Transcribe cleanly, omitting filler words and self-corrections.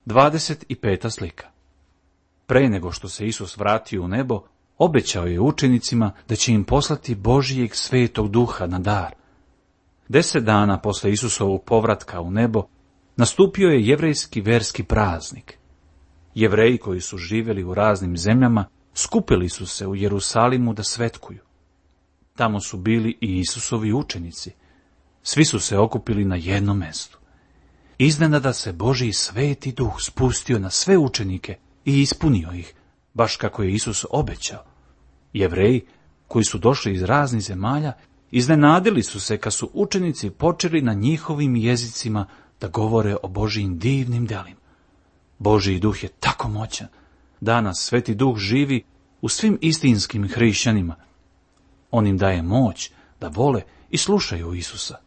25. slika. Pre nego što se Isus vratio u nebo, obećao je učenicima da će im poslati Božijeg Svetog Duha na dar. 10 dana posle Isusovog povratka u nebo nastupio je jevrejski verski praznik. Jevreji koji su živjeli u raznim zemljama skupili su se u Jerusalimu da svetkuju. Tamo su bili i Isusovi učenici. Svi su se okupili na jednom mestu. Iznenada se Božji Sveti Duh spustio na sve učenike i ispunio ih, baš kako je Isus obećao. Jevreji, koji su došli iz raznih zemalja, iznenadili su se kad su učenici počeli na njihovim jezicima da govore o Božjim divnim delima. Božji Duh je tako moćan. Danas Sveti Duh živi u svim istinskim hrišćanima. On im daje moć da vole i slušaju Isusa.